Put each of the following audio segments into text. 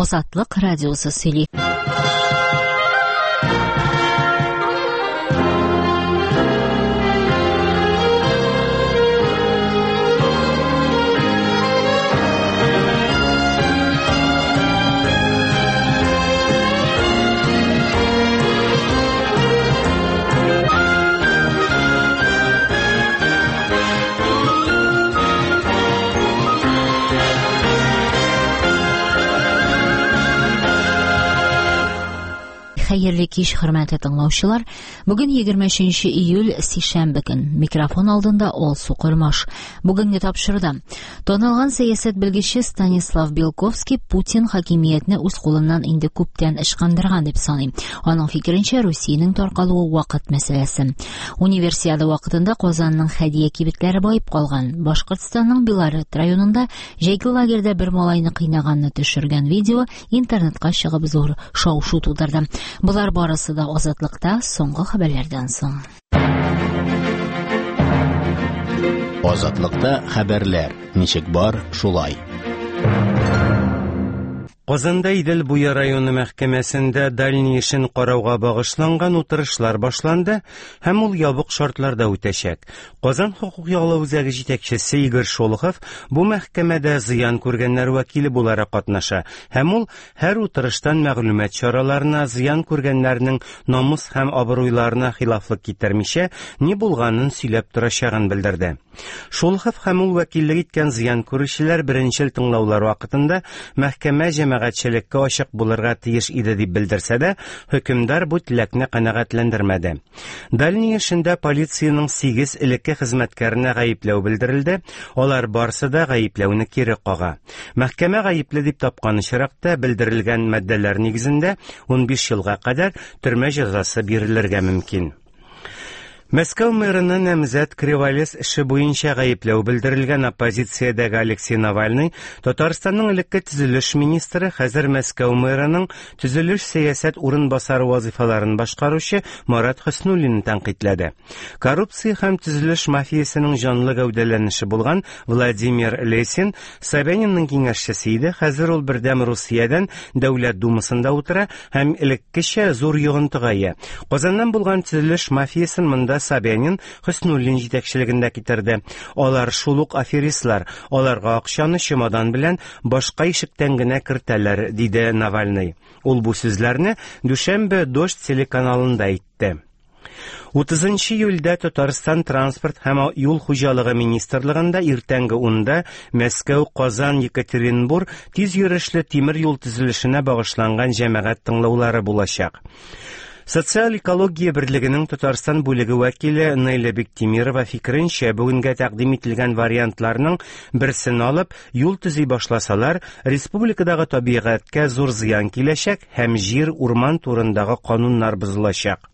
Азатлык радиосы сөйли. Хәерле кич, хөрмәтле тыңлаучылар. Бүген 23 июль, сишәмбе көн. Микрофон алдында Алсу Кормаш. Бүгенге тапшыруда танылган сәясәт белгече Станислав Белковский Путин хакимиятне үз кулыннан инде күптән ычкындырган дип саный. Аның фикеренчә, Русиянең таркалуы вакыт мәсьәләсе. Универсиада вакытында Казанның хәдия кибетләре баеп калган. Башкортстанның Белорет районында җәйге лагерьда бер малайны кыйнаганны төшергән видео интернетка чыгып зур шау-шу тудырды. Болар барысы да Азатлыкта соңгы хәбәрләрдән соң. Азатлыкта хәбәрләр ничек бар, шулай. Казанда Идел буе районы мәхкәмәсендә Дальний эшен карауга багышланган утырышлар башланды һәм ул ябык шартларда үтәчәк. Казан хокук яклау үзәге җитәкчесе Игорь Шолохов бу мәхкәмәдә зыян күргәннәр вәкиле буларак катнаша һәм ул һәр утырыштан мәгълүмат чараларына зыян күргәннәрнең намус һәм абруйларына хилафлык китермичә ни булганын сөйләп торачагын белдерде. Шолохов һәм ул вәкиллек иткән зыян күрүчеләр беренчел тыңлаулар вакытында мәхкәмә җәмәгатьчелеккә ачык булырга тиеш иде дип белдерсә дә, хөкемдар бу теләкне канәгатьләндермәде. Дальний эшендә полициянең 8 элекке хезмәткәренә гаепләү белдерелде, алар барсы да гаепләүне кире кага. Мәхкәмә гаепле дип тапкан очракта белдерелгән маддәләр нигезендә 15 елга кадәр төрмә җәзасы бирелергә мөмкин. Мәскәү мэрына намзәт Криволес эше буенча гаепләү белдерелгән оппозициядәге Алексей Навальный, Татарстанның элекке төзелеш министры, хәзер Мәскәү мэрының төзелеш сәясәт урынбасары вазифаларын башкаручы Марат Хөснуллинны тәнкыйтьләде. Коррупция һәм төзелеш мафиясенең җанлы гәүдәләнеше булган Владимир Лесин Собянинның киңәшчесе иде, хәзер ул Бердәм Русиядән Дәүләт Думасында утыра һәм элеккечә зур йогынтыга ия. Казаннан булган төзелеш мафиясын монда Собянин, Хөснуллин җитәкчелегендә китерде. Алар шул ук аферистлар, аларга акчаны чемодан белән башка ишектән генә кертәләр, диде Навальный. Ул бу сүзләрне Дүшәмбе Дождь телеканалында әйтте. 30 июльдә Татарстан транспорт һәм юл хуҗалыгы министрлыгында иртәнге 10-да Мәскәү, Казан, Екатеринбур тиз йөрешле тимер юл төзелешенә багышланган җәмәгать тыңлаулары булачак. Социаль экология берлегенең Татарстан бүлеге вәкиле Нелли Бектимирова фикеренчә, бүгенгә тәкъдим ителгән вариантларның берсен алып, юл төзи башласалар, республикадагы табигатькә зур зыян киләчәк һәм җир, урман турындагы кануннар бозылачак.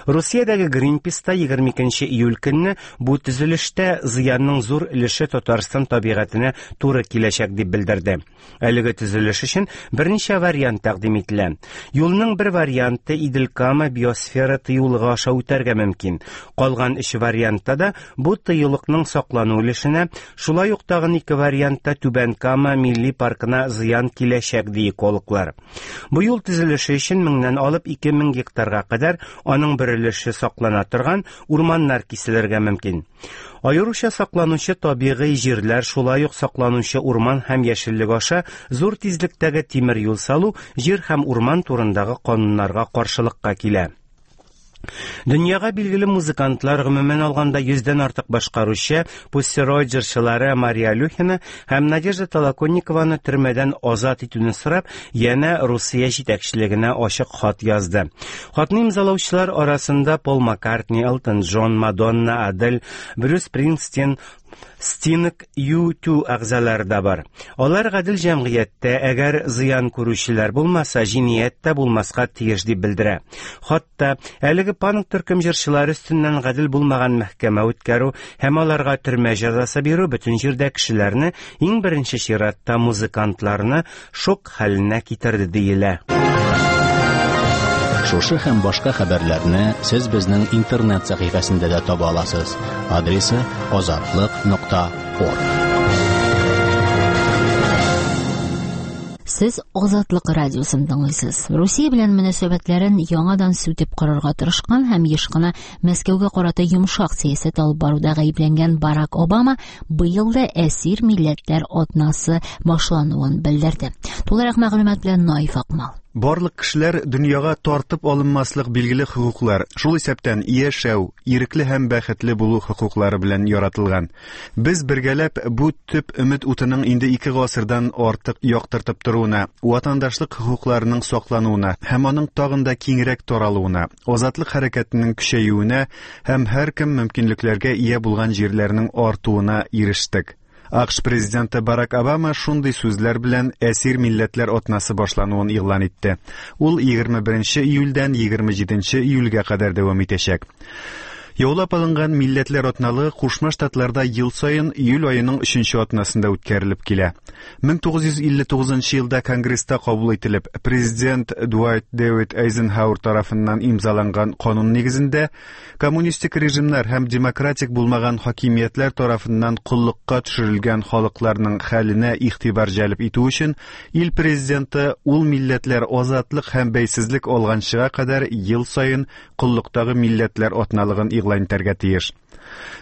Русиядәге Greenpeace та 22 июль көнне бу төзелештә зыянның зур өлеше Татарстан табигатенә туры киләчәк дип белдерде. Әлеге төзелеш өчен берничә вариант тәкъдим ителә. Юлның бер варианты Идел-Кама биосфера тыюлыгы аша үтәргә мөмкин. Калган өч вариантта да бу тыюлыкның саклану өлешенә, шулай ук тагын ике вариантта Түбән Кама милли паркына зыян киләчәк, ди экологлар. Бу юл төзелеше өчен меңнән алып 2000 гектарга кадәр аның бер өлеше саклана торган урманнар киселергә мөмкин. Аеруча сакланучы табигый җирләр, шулай ук сакланучы урман һәм яшеллек аша зур тизлектәге тимер юл салу җир һәм урман турындагы кануннарга каршылыкка килә. Дөньяга билгеле музыкантлар, гомумән алганда 100дән артык башкаручы Pussy Riot җырчылары Мария Алюхина һәм Надежда Толоконникованы төрмәдән азат итүне сорап, янә Русия җитәкчелегенә ачык хат язды. Хатны имзалаучылар арасында Пол Маккартни, Элтон Джон, Мадонна, Адель, Брюс Спрингстин, Стинг, U2 әгъзалары да бар. Алар гадел җәмгыятьтә, әгәр зыян күрүчеләр булмаса, җинаять тә булмаска тиеш дип белдерә. Хатта әлеге панк төркем җырчылары өстеннән гадел булмаган мәхкәмә үткәрү һәм аларга төрмә җәзасы бирү бөтен җирдә кешеләрне, иң беренче чиратта музыкантларны шок хәленә китерде диелә. Шушы һәм башка хәбәрләрне сез безнең интернет сәхифәсендә дә таба аласыз. Адресы азатлык.орг. Сез Азатлык радиосын тыңлыйсыз. Русия белән мөнәсәбәтләрен яңадан сүтеп корырга тырышкан һәм еш кына Мәскәүгә карата йомшак сәясәт алып баруда гаепләнгән Барак Обама быел да әсир милләтләр атнасы башлануын белдерде. Тулырак мәгълүмат белән Наиф Акмал. Барлык кешеләр дөньяга тартып алынмаслык билгеле хокуклар, шул исәптән яшәү, ирекле һәм бәхетле булу хокуклары белән яратылган. Без бергәләп бу төп өмет утының инде ике гасырдан артык яктыртып торуына, ватандашлык хокукларының саклануына һәм аның тагын да киңрәк таралуына, азатлык хәрәкәтенең көчәюенә һәм һәркем мөмкинлекләргә ия булган җирләрнең артуына ирештек. АКШ президенты Барак Обама шундый сүзләр белән әсир милләтләр атнасы башлануын игълан итте. Ул 21 июльдән 27 июльгә кадәр дәвам итәчәк. Яулап алынган милләтләр атналыгы Кушма Штатларда ел саен июль аеның 3 атнасында үткәрелеп килә. 1959 елда Конгресста кабул ителеп, президент Дуайт Дэвид Эйзенхауэр тарафыннан имзаланган канун нигезендә коммунистик режимнар һәм демократик булмаган хакимиятләр тарафыннан коллыкка төшерелгән халыкларның хәленә игътибар җәлеп итү өчен ил президенты ул милләтләр азатлык һәм бәйсезлек алганчыга кадәр ел саен коллыктагы милләтләр атналыгын игълан итәргә тиеш.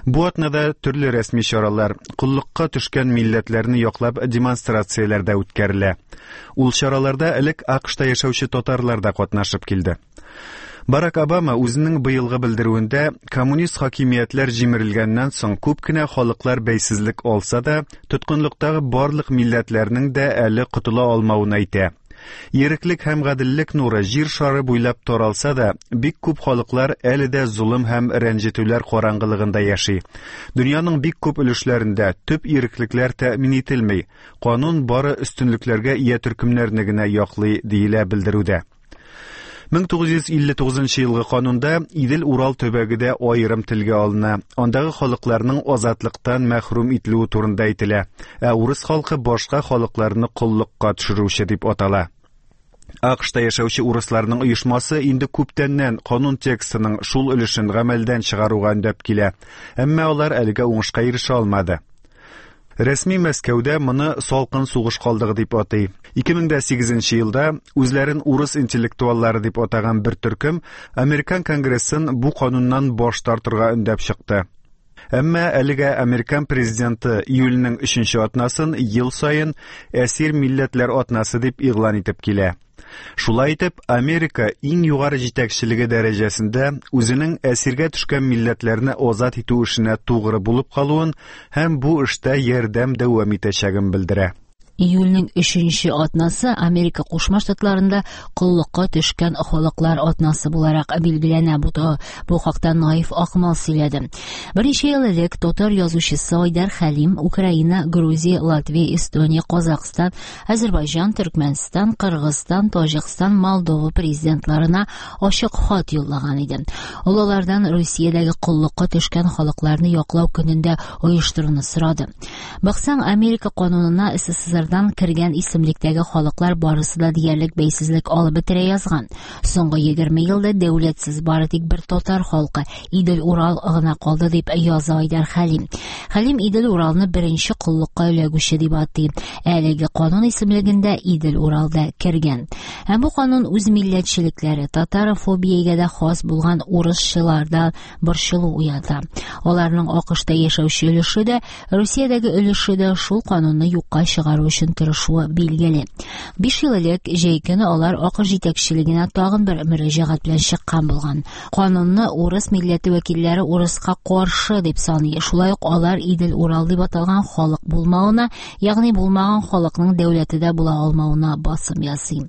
Бу атнада төрле рәсми чаралар, коллыкка төшкән милләтләрне яклап демонстрацияләр дә үткәрелә. Ул чараларда элек АКШта яшәүче татарлар да катнашып килде. Барак Обама үзенең быелгы белдерүендә коммунист хакимиятләр җимерелгәннән соң күп кенә халыклар бәйсезлек алса да, тоткынлыктагы барлык милләтләрнең дә әле котыла алмавын әйтә. Иреклек һәм гаделлек нуры җир шары буйлап таралса да, бик күп халыклар әле дә золым һәм рәнҗетүләр караңгылыгында яши. Дөньяның бик күп өлешләрендә төп иреклекләр тәэмин ителми, канун бары өстенлекләргә ия төркемнәрне генә яклый, диелә белдерүдә. 1959 елгы канунда Идел-Урал төбәге дә аерым телгә алына. Андагы халыкларның азатлыктан мәхрүм ителүе турында әйтелә. Ә урыс халкы башка халыкларны коллыкка төшерүче дип атала. АКШта яшәүче урысларның оешмасы инде күптәннән канун текстының шул өлешен гамәлдән чыгаруга өндәп килә. Әмма алар әлегә уңышка ирешә алмады. Рәсми Мәскәүдә моны салкын сугыш калдыгы дип атый. 2008 елда үзләрен урыс интеллектуаллары дип атаган бер төркем Американ Конгрессын бу кануннан баш тартырга өндәп чыкты. Әмма әлегә Американ президенты июльнең 3 атнасын ел саен әсир милләтләр атнасы дип игълан итеп килә. Шулай итеп, Америка иң югары җитәкчелеге дәрәҗәсендә үзенең әсиргә төшкән милләтләрне азат итү эшенә тугры булып калуын һәм бу эштә ярдәм дәвам итәчәген белдерә. Июльнең өченче атнасы Америка Кушма Штатларында коллыкка төшкән халыклар атнасы буларак билгеләнә. Бу хакта Наиф Акмал сөйләде. Берничә ел элек татар язучысы Айдар Хәлим Украина, Грузия, Латвия, Эстония, Казахстан, Азербайҗан, Төркмәнстан, Кыргызстан, Таҗикстан, Молдова президентларына ачык хат юллаган иде. Ул алардан Русиядәге коллыкка төшкән халыкларны яклау көнендә оештыруны сорады. Баксаң, Америка канунына СССРдан кергән исемлектәге халыклар барысы да диярлек бәйсезлек алып бетерә язган. Соңгы 20 елда дәүләтсез бары тик бер татар халкы Идел-Урал гына калды дип яза Айдар Хәлим. Хәлим Идел-Уралны беренче коллыкка эләгүче дип атый. Әлеге канун исемлегендә Идел-Урал да кергән. Һәм бу канун үз милләтчелекләре, татарофобиягә дә хас булган урысчыларда борчылу уята. Аларның АКШта яшәүче өлеше дә, Русиядәге өлеше дә шул канунны юкка чыгару өчен тырышуы билгеле. 5 ел элек җәй көне алар АКШ җитәкчелегенә тагын бер мөрәҗәгать белән чыккан булган. Канунны урыс милләте вәкилләре урыска каршы дип саный. Шулай ук алар Идел-Урал дип аталган халык булмавына, ягъни булмаган халыкның дәүләте дә була алмавына басым ясый.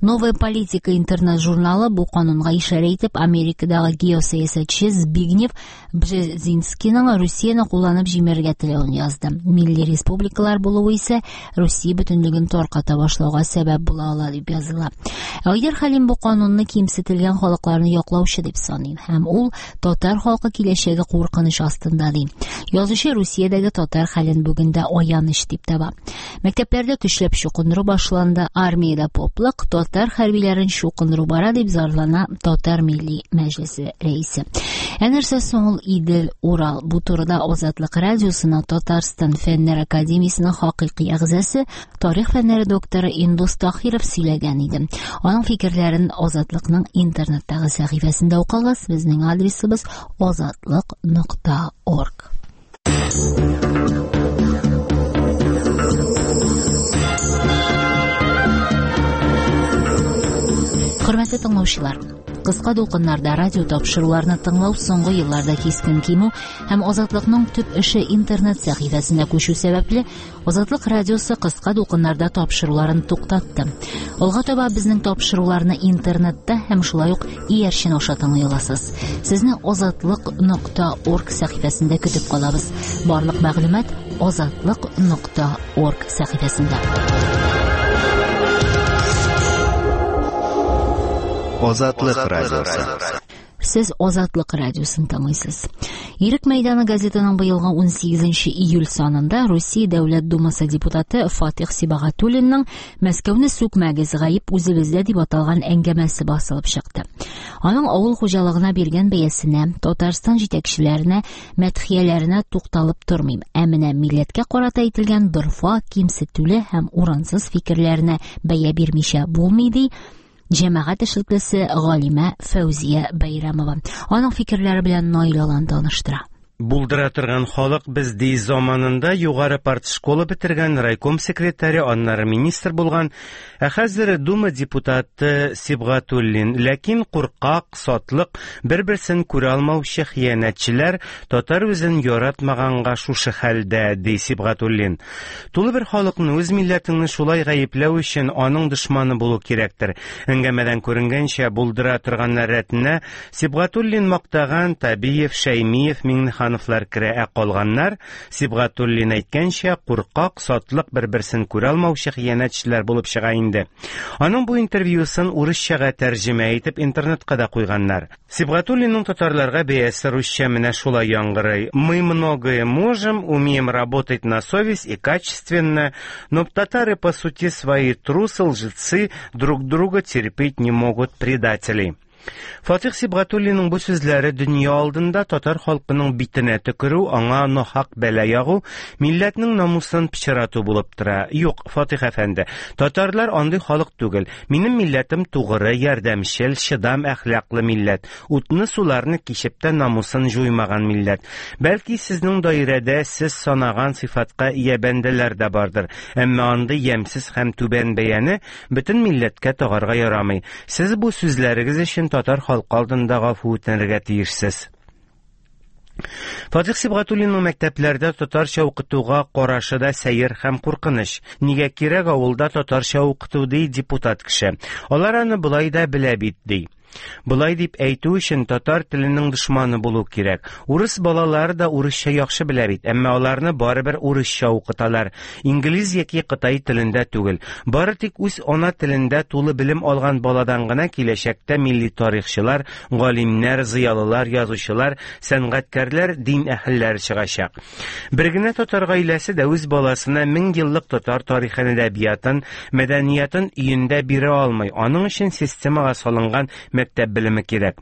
Новая политика интернет-журналы бу канунга ишарә итеп, Америкадагы геосәясәтче Збигнев Бжезинскийның Русияне кулланып җимерергә теләвен язды. Милли республикалар булуы исә Русия бөтенлеген тарката башлауга сәбәп була ала дип языла. Айдар Хәлим бу канунны кимсетелгән халыкларны яклаучы дип саный һәм ул татар халкы киләчәге куркыныч астында ди. Язучы Русиядәге татар хәлен бүген дә аяныч дип таба. Мәктәпләрдә көчләп чукындыру башланды, армиядә поплык, татар хәрбиләрен чукындыру бара дип зарлана Татар милли мәҗлесе рәисе. Ә нәрсә соң ул Идел, Урал? Бу турыда Азатлык радиосына Татарстан Фәннәр академиясенең хакыйкый әгъзасы, тарих фәннәре докторы Индус Таһиров сөйләгән иде. Аның фикерләрен Азатлыкның интернеттагы сәхифәсендә укыгыз. Безнең адресыбыз azatliq.org. Хөрмәтле тыңлаучылар, кыска дулкыннарда радио тапшыруларны тыңлау соңгы елларда кискен кимү һәм Азатлыкның төп эше интернет сәхифәсенә күчү сәбәпле, Азатлык радиосы кыска дулкыннарда тапшыруларын туктатты. Алга таба безнең тапшыруларны интернетта һәм шулай ук иярчен аша тыңлый аласыз. Сезне azatliq.org сәхифәсендә көтеп калабыз. Барлык мәгълүмат azatliq.org сәхифәсендә. Азатлык радиосы. Сез Азатлык радиосын тыңлыйсыз. Ирек мәйданы газетының быелгы 18 июль санында Русия Дәүләт Думасы депутаты Фатих Сибагатуллинның Мәскәүне сүкмәгез, гаеп үзебездә дип аталган әңгәмәсе басылып чыкты. Аның авыл хуҗалыгына биргән бәясенә, Татарстан җитәкчеләренә, мәдхияләренә тукталып тормыйм. Ә менә милләткә карата әйтелгән дорфа, кимсетүле һәм урынсыз фикерләренә бәя бирмичә булмый, ди җәмәгать эшлеклесе галимә Фәүзия Бәйрәмова. Аның фикерләре белән Наил Алан таныштыра. Булдыра торган халык без ди заманында югары партшкола бетергән райком секретаре, аннары министр булган, ә хәзер Дума депутаты Сибгатуллин. Ләкин куркак, сатлык, бер-берсен күрә алмаучы хыянәтчеләр татар үзен яратмаганга шушы хәлдә, ди Сибгатуллин. Тулы бер халыкны үз милләтеңне шулай гаепләү өчен аның дошманы булу кирәктер. Әңгәмәдән күренгәнчә, булдыра торганнар рәтенә Сибгатуллин мактаган Табиев, Шәймиев, Миңнехановлар керә, ә калганнар, Сибгатуллин әйткәнчә, куркак, сатлык, бер-берсен күрә алмаучы хыянәтчеләр булып чыга инде. Аның бу интервьюсын урысчага тәрҗемә итеп интернетка да куйганнар. Сибгатуллинның татарларга бәясе русча менә шулай яңгырый: Мы многое можем, умеем работать на совесть и качественно, но татары по сути свои трусы, лжецы, друг друга терпеть не могут, предатели. Фатих Сибгатуллинның бу сүзләре дөнья алдында татар халкының битенә төкерү, аңа нахак бәла ягу, милләтнең намусын пычрату булып тора. Юк, Фатих әфәнде, татарлар андый халык түгел. Минем милләтем тугры, ярдәмчел, чыдам, әхлаклы милләт. Утны суларны кичеп тә намусын җуймаган милләт. Бәлки сезнең даирәдә сез санаган сыйфатка ия бәндәләр дә бардыр. Әмма андый ямьсез һәм түбән бәяне бөтен милләткә тагарга ярамый. Сез бу сүзләрегез өчен татар халкы алдында гафу үтенергә тиешсез. Фатих Сибгатуллинның мәктәпләрдә татарча укытуга карашы да сәер һәм куркыныч. Нигә кирәк авылда татарча укыту, ди депутат кеше. Алар аны болай да белә бит, ди. Болай дип әйтү өчен татар теленең дошманы булу кирәк. Урыс балалары да урысча яхшы белә бит, әмма аларны барыбер урысча укыталар. Инглиз яки кытай телендә түгел. Бары тик үз ана телендә тулы белем алган баладан гына киләчәктә милли тарихчылар, галимнәр, зыялылар, язучылар, сәнгатькәрләр, дин әһелләре чыгачак. Бер генә татар гаиләсе дә үз баласына мең еллык татар тарихын, әдәбиятын, мәдәниятын өендә бирә алмый. Аның өчен системага салынган мәктәп белеме кирәк.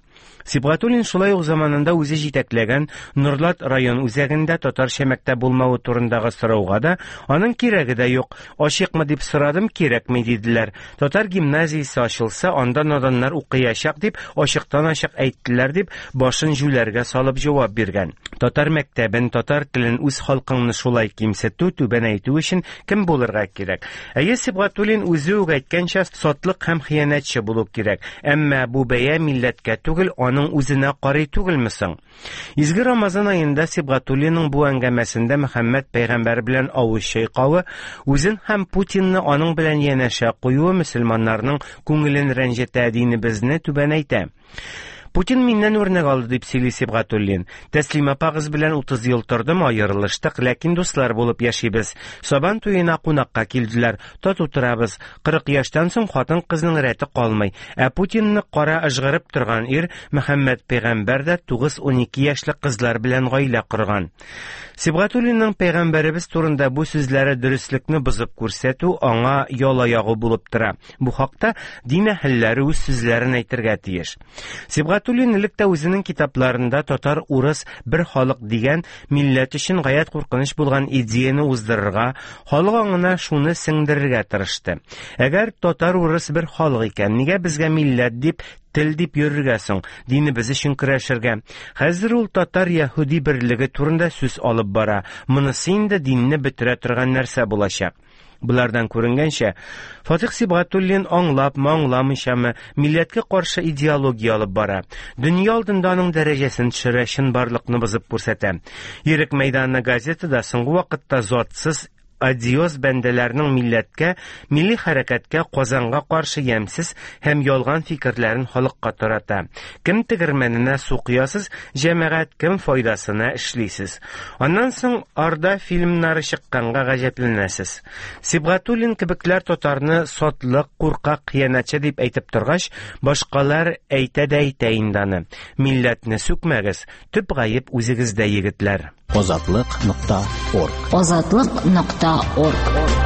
Сибгатуллин шулай ук заманында үзе җитәкләгән Нурлат район үзәгендә татарча мәктәп булмавы турындагы сорауга да аның кирәге дә юк. Ачыкмы дип сорадым, кирәкми диделәр. Татар гимназиясе ачылса, анда наданнар укыячак дип ачыктан-ачык әйттеләр дип башын җүләргә салып җавап биргән. Татар мәктәбен, татар телен, үз халкыңны шулай кимсетү, түбәнәйтү өчен кем булырга кирәк? Әйе, Сибгатуллин үзе үк әйткәнчә, сатлык һәм хыянәтче булу кирәк. Әмма бу бәя милләткә түгел, аның үзенә карый түгелме соң? Изге Рамазан аенда Сибгатуллинның бу әңгәмәсендә Мөхәммәд пәйгамбәр белән авыз чайкавы, үзен һәм Путинны аның белән янәшә куюы мөселманнарның күңелен рәнҗетә, динебезне түбәнәйтә. Путин миннән үрнәк алды, дип сөйли Сибгатуллин. Тәслим апагыз белән 30 ел тордым, аерылыштык, ләкин дуслар булып яшибез. Сабан туена кунакка килделәр, тату торабыз. 40 яшьтән соң хатын-кызның рәте калмый. Ә Путинны кара ыжгырып торган ир Мөхәммәд пәйгамбәр дә 9-12 яшьлек кызлар белән гаилә корган. Сибгатуллинның пәйгамбәребез турында бу сүзләре дөреслекне бозып күрсәтү аңа яла ягу булып тора. Бу хакта дин әһелләре үз сүзләрен әйтергә тиеш. Сибгатуллин элек тә үзенең китапларында татар-урыс бер халык дигән милләт өчен гаять куркыныч булган идеяне уздырырга, халык аңына шуны сеңдерергә тырышты. Әгәр татар-урыс бер халык икән, нигә безгә милләт дип, тел дип йөрергә соң, динебез өчен көрәшергә? Хәзер ул татар-яһүди берлеге турында сүз алып бара. Монысы инде динне бетерә торган нәрсә булачак. Болардан күренгәнчә, Фатих Сибгатуллин аңлапмы, аңламыйчамы, милләткә каршы идеология алып бара. Дөнья алдында аның дәрәҗәсен төшерә, чынбарлыкны бозып күрсәтә. Ирек мәйданы газеты да соңгы вакытта затсыз одиоз бәндәләрнең милләткә, милли хәрәкәткә, Казанга каршы ямьсез һәм ялган фикерләрен халыкка тарата. Кем тегермәненә су коясыз, җәмәгать, кем файдасына эшлисез? Аннан соң Арда фильмнары чыкканга гаҗәпләнәсез. Сибгатуллин кебекләр татарны сатлык, куркак, хыянәтче дип әйтеп торгач, башкалар әйтә дә әйтә инде аны. Милләтне сүкмәгез, төп гаеп үзегездә, егетләр. Азатлык.орг. Азатлык.орг.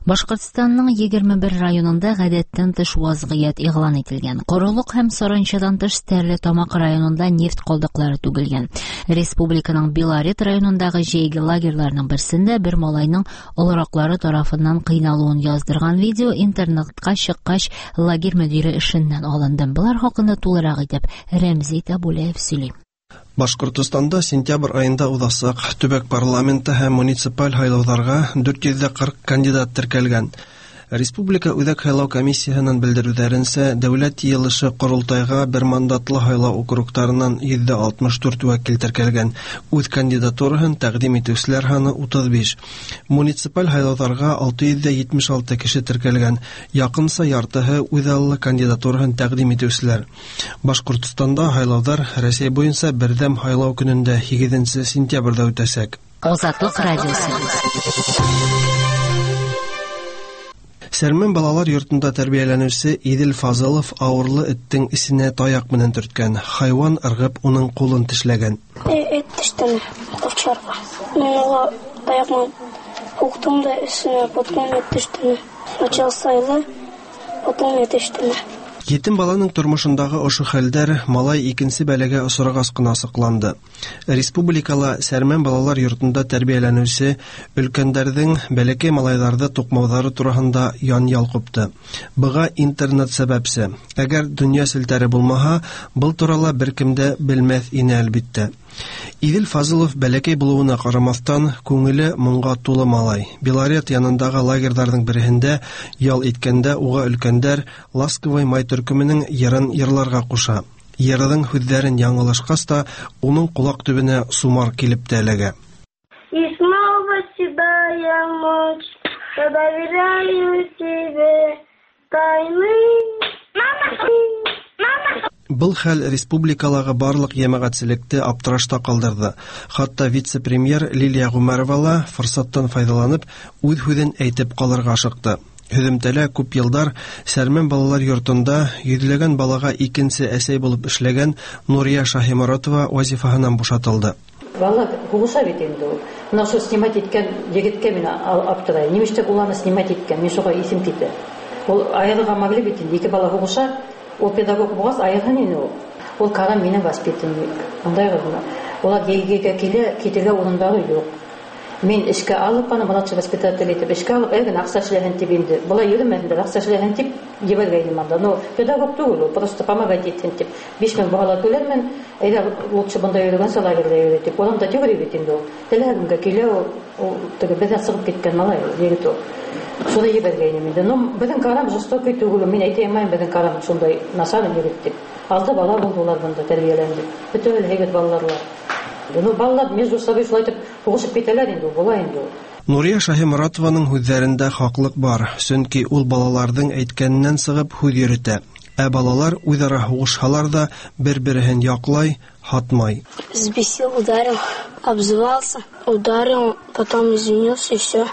Башкортстанның 21 районында гадәттән тыш вазгыять игълан ителгән. Корылык һәм Саранчадан тыш Стәрлетамак районында нефть калдыклары түгелгән. Республиканың Белорет районындагы җәйге лагерьларның берсендә бер малайның олыраклары тарафыннан кыйналуын яздырган видео интернетка чыккач, лагерь мөдире эшеннән алынды. Болар хакында тулырак итеп Рәмзи Табулаев сөйли. Башкортостанда сентябрь аенда узачак төбәк парламенты һәм муниципаль һайлауларга 440 кандидат теркәлгән. Республика Үзәк һайлау комиссияһенең белдерүләренчә, дәүләт йыелышы корылтайга бер мандатлы һайлау округтарыннан 64 вәкил теркәлгән. Үз кандидатураһын тәкъдим итүчеләр саны 35. Муниципаль һайлауларга 676 кеше теркәлгән. Якынча яртыһы үзаллы кандидатураһын тәкъдим итүчеләр. Башкортстанда һайлаулар Рәсәй буенча бердәм һайлау көнендә 8 сентябрьдә үтәчәк. Азатлык радиосы. Сәрмән балалар йортында тәрбияләнүче Идел Фазылов авырлы эттең эсенә таяк менән төрткән. Хайван ыргып уның кулын тешләгән. Эт тештене овчарка. Мин уга таяк менән һуктым да эсенә, потом эт тештене. Сначала сайлы, потом эт тештене. Етим баланың тормышындагы ошо хәлдәр малай икенче бәләгә осрагас кына асыкланды. Республикала Сәрмән балалар йортында тәрбияләнүче өлкәндәрҙең бәләкәй малайҙарҙы туҡмауҙары тураһында янъял ҡупты. Быға интернет сәбәпсе. Әгәр донъя селтәре булмаһа, был турала бер кем дә белмәҫ ине, әлбиттә. Идел Фазылов бәләкәй булыуына ҡарамаҫтан, күңеле моңға тулы малай. Белорет янындағы лагерҙарҙың береһендә ял иткәндә уға өлкәндәр Ласковый май төркөмөнөң йырын йырларға ҡуша. Йырҙың һүҙҙәрен яңылышҡас та, уның ҡолаҡ төбөнә сумар килеп тә эләгә. И снова седая ночь, я доверяю тебе тайны. Мама! Мама! Был хәл республикалағы барлыҡ йәмәғәтселекте аптырашта ҡалдырҙы. Хатта вице-премьер Лилия Ғүмәрова ла форсаттан файҙаланып, үҙ һүҙен әйтеп ҡалырға ашыҡты. Һөҙөмтәлә күп йылдар Сәрмән балалар йортонда йөҙләгән балаға икенсе әсәй булып эшләгән Нурия Шаһиморатова вазифаһынан бушатылды. Бала һуғыша бит инде ул. Бына ошо снимать иткән егеткә мин аптырайым. Нимештәп ул аны снимать иткән? Мин шуға исем китә. Ул айырырға могли бит инде. Ике бала һуғыша, ул педагог булғас айырһын ине ул. Ул Карам минең воспитанник. Аңлайғыҙмы? Улар йәйгегә килә, китергә урындары юҡ. Мин эшкә алып аны младший воспитатель итеп эшкә алып, әгәр аҡса эшләһен тип инде. Былай йөрөмәһендәр, аҡса эшләһен тип ебәргәйнем анда. Но педагог түгел ул, просто помогать итһен тип. 5000 бала түләрмен, әйҙә лучше бында йөрөгәнсә лагерҙа йөрөй тип. Урамда йөрөй бит инде ул. Теләһә кемгә килә ул, ул теге беҙҙән сығып киткән малай ул, егет ул. Шуны ебәргәйнем инде. Но беҙҙең Карам жестокий түгел, мин әйтә алмайым, беҙҙең Карам шундай насар егет тип. Алты бала булды улар бында тәрбиәләнде. Бөтә һәйбәт балалар. Ну, балалар между собой шулай итеп һуғышып китәләр инде, була инде ул. Нурия Шаһиморатованың һүҙҙәрендә хаҡлыҡ бар, сөнки ул балаларҙың әйткәненән сығып һүҙ йөрөтә. Ә балалар үҙ-ара һуғышһалар ҙа бер-береһен яҡлай, һатмай. Взбесил, ударил, обзывался, ударил, потом извинился и все.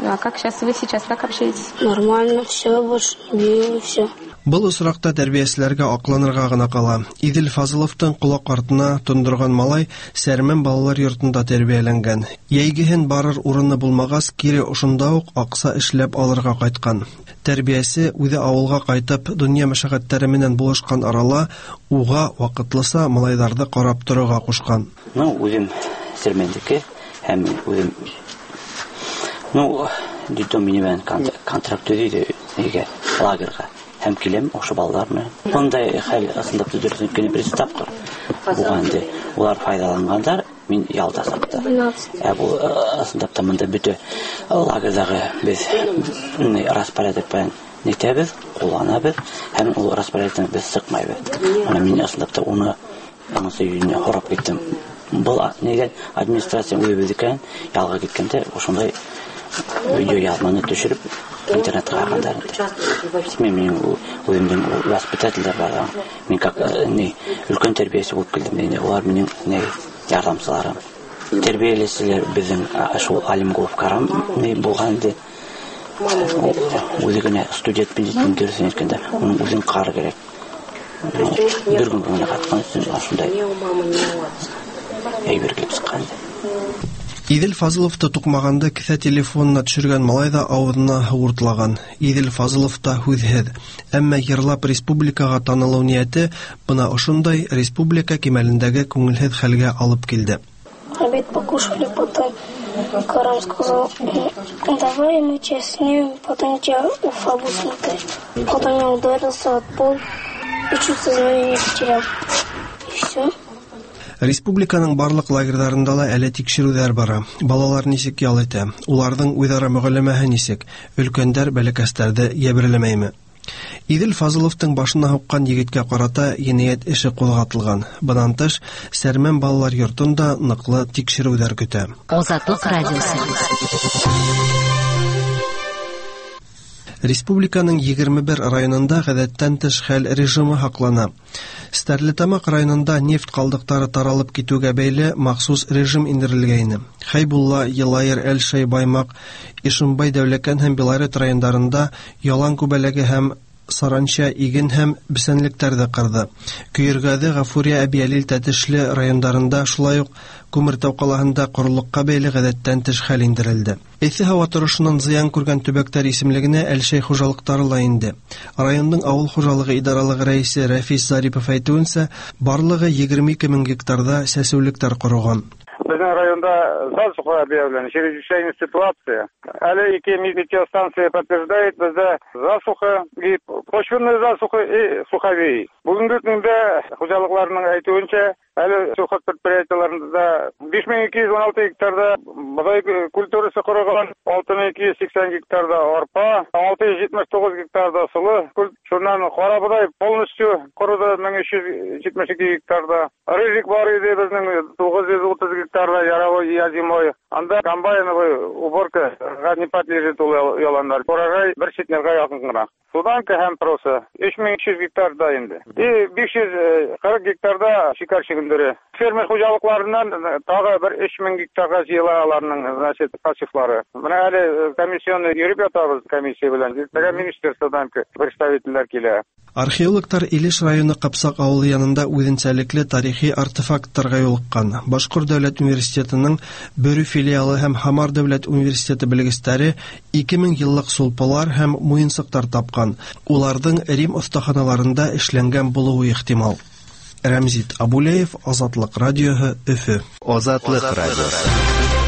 А как сейчас вы сейчас как общаетесь? Нормально, все, больше не бью, все. Был осраҡта тәрбиәселәргә аҡланырға ғына ҡала. Иҙел Фазыловтың ҡолаҡ артына тондорған малай Сәрмән балалар йортонда тәрбиәләнгән. Йәйгеһен барыр урыны булмағас, кире ошонда уҡ аҡса эшләп алырға ҡайтҡан. Тәрбиясе үҙе ауылға ҡайтып, донъя мәшәҡәттәре менән булышҡан арала уға ваҡытлыса малайҙарҙы ҡарап торорға ҡушҡан. Ну, үҙем Сермәндеке һәм үҙем, ну, детдом минең менән контракт төҙөй нигә, лагерға. Һәм киләм ошо балалар менән. Бындай хәл ысынлап та дөрөҫ үткәне беренсе тапҡыр булған инде. Улар файҙаланғандар, мин ялда саҡта. Ә был ысынлап та бында бөтә лагерҙағы беҙ распорядок менән нитәбеҙ, ҡулланабыҙ, һәм ул распорядоктан беҙ сыҡмайбыҙ. Ана мин ысынлап та уны аңсы йөҙөнә һорап киттем. Был нигә администрация үҙебеҙҙекен ялға киткәндә ошондай видео яҙманы төшөрөп интернетҡа һалғандар инде. Мин минең үҙемдең воспитательдәр бар. Мин как ни өлкән тәрбиәсе булып килдем инде. Улар минең ни ярҙамсыларым. Тәрбиәләүселәр беҙҙең шул Алимгулов Карам ни булған инде. Үҙе генә студент бит дөрөҫөн әйткәндә, уның үҙен ҡарар кәрәк. Бер көн генә ҡайтҡан өсөн ошондай әйбер килеп сыҡҡан инде. Иҙел Фазыловты туҡмағанды кеҫә телефонына төшөргән малай ҙа ауыҙына һыу уртлаған. Иҙел Фазылов та һүҙһеҙ. Әммә йырлап республикаға танылыу ниәте бына ошондай республика кимәлендәге күңелһеҙ хәлгә алып килде. Обед покушали, потом Карам сказал: давай мы тебя снимем, потом тебя Уфа будет смотреть. Потом я ударился от пол и чуть сознание не потерял. И все. Республиканың барлыҡ лагерҙарында ла әле тикшереүҙәр бара. Балалар нисек ял итә? Уларҙың үҙ-ара мөғәлләмәһе нисек? Өлкәндәр бәләкәстәрҙе йәберләмәйме? Иҙел Фазыловтың башына һуҡҡан егеткә ҡарата енәйәт эше ҡуҙғатылған. Бынан тыш, Сәрмән балалар йортонда ныҡлы тикшереүҙәр көтә. Азатлык радиосы. Республиканың 21 районында ғәҙәттән тыш хәл режимы һаҡлана. Стәрлетамаҡ районында нефть ҡалдыҡтары таралып китеүгә бәйле махсус режим индерелгәйне. Хәйбулла, Йылайыр, Әлшәй, Баймаҡ, Ишембай, Дәүләкән һәм Белорет райондарында ялан күбәләге һәм саранча иген һәм бесәнлектәрҙе ҡырҙы. Көйөргәҙе, Ғафурия, Әбйәлил, Тәтешле райондарында, шулай уҡ Күмертау ҡалаһында ҡоролоҡҡа бәйле ғәҙәттән тыш хәл индерелде. Эҫе һауа торошонан зыян күргән төбәктәр исемлегенә Әлшәй хужалыҡтары ла инде. Райондың ауыл хужалығы идаралығы рәйесе Рәфис Зарипов әйтеүенсә, барлығы 22 мең гектарҙа сәсеүлектәр ҡороған. Беҙҙең районда засуха объявлена, чрезвычайная ситуация. Әле ике метеостанция подтверждает, беҙҙә засуха, и почвенная засуха, и суховей. Бөгөнгө көндә хужалыҡларының әйтеүенсә, әле сельхоз предприятиеларында 5216 гектарда боҙай культурасы ҡороған, 6280 гектарда арпа, 679 гектарда соло, шунан ҡара боҙай полностью ҡороҙо 1372 гектарда. Рыжик бар ине беҙҙең 930 гектарда яровой озимой. Анда комбайновый уборка не подлежит ул яландар. Урожай бер центнерға яҡын ғына. Суданка һәм проса 3300 гектарда инде. И 540 гектарда шикәр шөгөндөрө. Фермер хужалыҡларынан тағы бер 3000 гектарға йыйыла аларның, значит, посевлары. Бына әле комиссионный йөрөп ятабыҙ комиссия белән. Иртәгә министерстводан представительдәр килә. Археологтар Илеш районы Ҡапсаҡ ауылы янында үҙенсәлекле тарихи артефакттарға юлыҡҡан. Башҡорт дәүләт университетының Бөрө филиалы һәм Һамар дәүләт университеты белгестәре 2000 йыллыҡ сулпылар һәм муйынсыҡтар тапҡан. Уларҙың Рим оҫтаханаларында эшләнгән булыуы ихтимал. Рәмзит Абулеев, Азатлыҡ радиоһы, Өфө. Азатлыҡ радиоһы.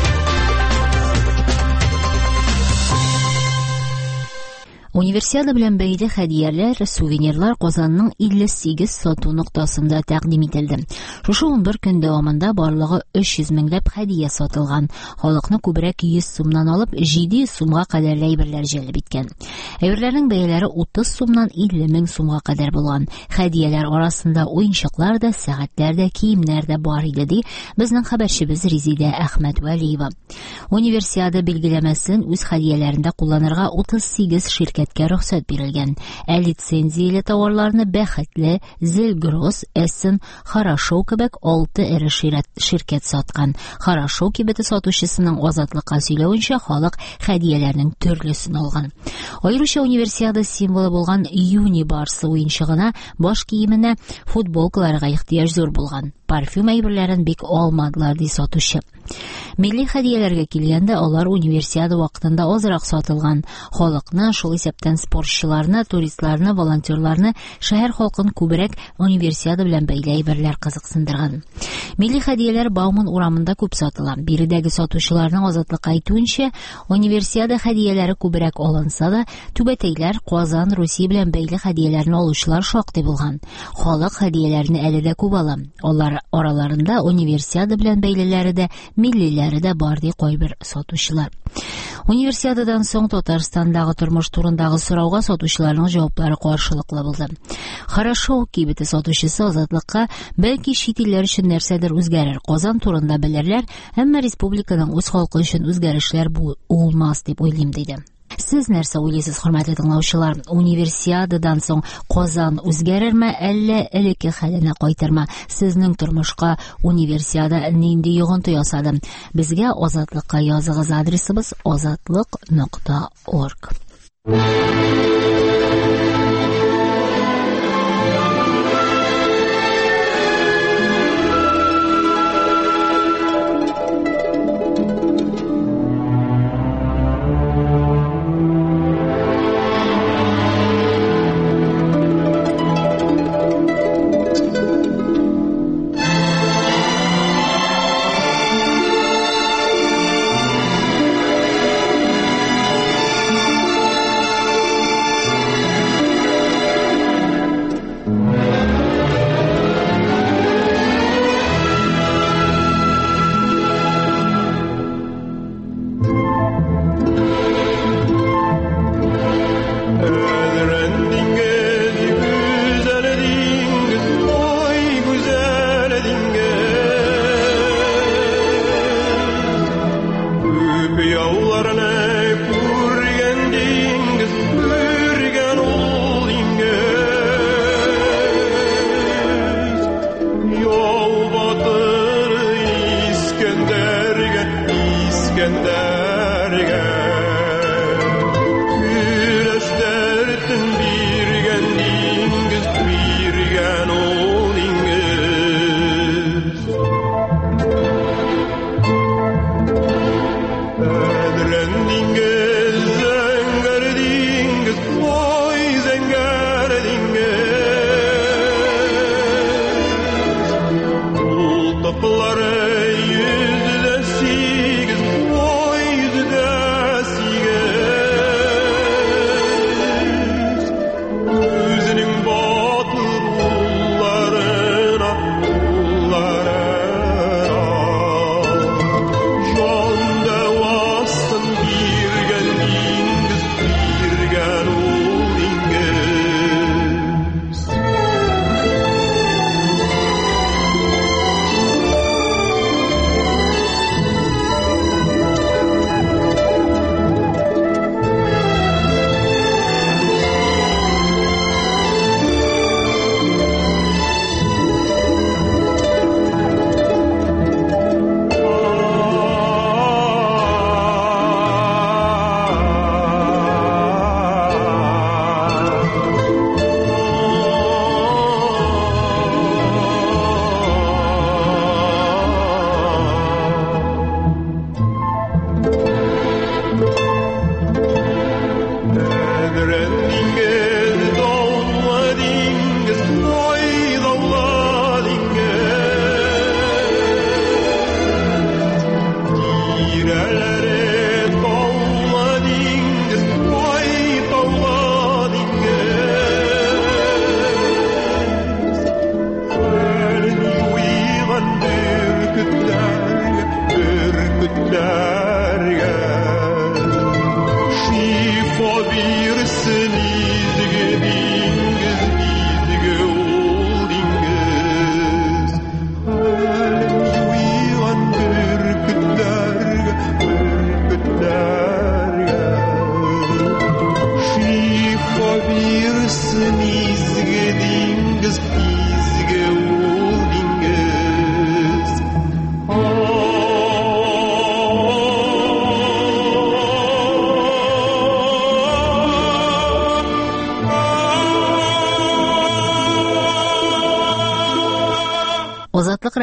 Универсиада белән бәйле хәдияләр, сувенирлар Казанның 58 сату ноктасында тәкъдим ителде. Шушы 11 көн дәвамында барлыгы 300 меңләп хәдия сатылган. Халыкны күбрәк 100 сумнан алып 700 сумга кадәр әйберләр җәлеп иткән. Әйберләрнең бәяләре 30 сумнан 50 мең сумга кадәр булган. Хәдияләр арасында уенчыклар да, сәгатьләр дә, киемнәр дә бар иде, ди безнең хәбәрчебез Резидә Әхмәтвәлиева. Универсиада билгеләмәсен үз хәдияләрендә кулланырга 38 ширкәт рөхсәт бирелгән. Ә лицензияле тауарларны Бәхетле, Зелгросс, Эссен, Хорошо кебек 6 эре ширкәт саткан. Хорошо кибете сатучысының Азатлыкка сөйләвенчә, халык хәдияләрнең төрлесен алган. Аеруча универсиада символы булган Юни Барсы уенчыгына, баш киеменә, футболкаларга ихтыяҗ зур булган. Парфюм әйберләрен бик алмадылар, ди сатучы. Милли хәдияләргә килгәндә, алар Универсиада вакытында азрак сатылган. Халыкны, шул исәптән спортчыларны, туристларны, волонтерларны, шәһәр халкын күбрәк Универсиада белән бәйле әйберләр кызыксындырган. Милли хәдияләр Бауман урамында күп сатыла. Биредәге сатучыларның Азатлыкка әйтүенчә, Универсиада хәдияләре күбрәк алынса да, түбәтәйләр, Казан, Русия белән бәйле хәдияләрне алучылар шактый булган. Халык хәдияләрне әле дә күп ала. Алар араларында Универсиада белән бәйлеләре дә, миллиләре дә бар, ди кайбер сатучылар. Универсиададан соң Татарстандагы тормыш турындагы сорауга сатучыларның җаваплары каршылыклы булды. Хорошо кибете сатучысы Азатлыкка, бәлки чит илләр өчен нәрсәдер үзгәрер, Казан турында белерләр, әмма республиканың үз халкы өчен үзгәрешләр булмас дип уйлыйм, диде. Сез нәрсә уйлыйсыз, хөрмәтле тыңлаучылар? Универсиададан соң Казан үзгәрерме, әллә элекке хәленә кайтырмы? Сезнең тормышка Универсиада нинди йогынты ясады? Безгә Азатлыкка языгыз, адресыбыз азатлык.орг.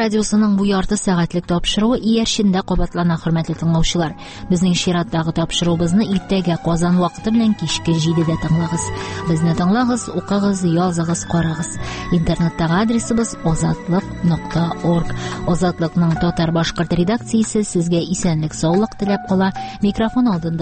радиосының бу ярты сәгатьлек тапшыруы иярчендә кабатлана, хөрмәтле тыңлаучылар. Безнең чираттагы тапшыруыбызны иртәгә Казан вакыты белән кичке 7-дә тыңлагыз. Безне тыңлагыз, укыгыз, языгыз, карагыз. Интернеттагы адресыбыз azatliq.org. Азатлыкның татар-башкорт редакциясе сезгә исәнлек, саулык теләп кала. Микрофон алдында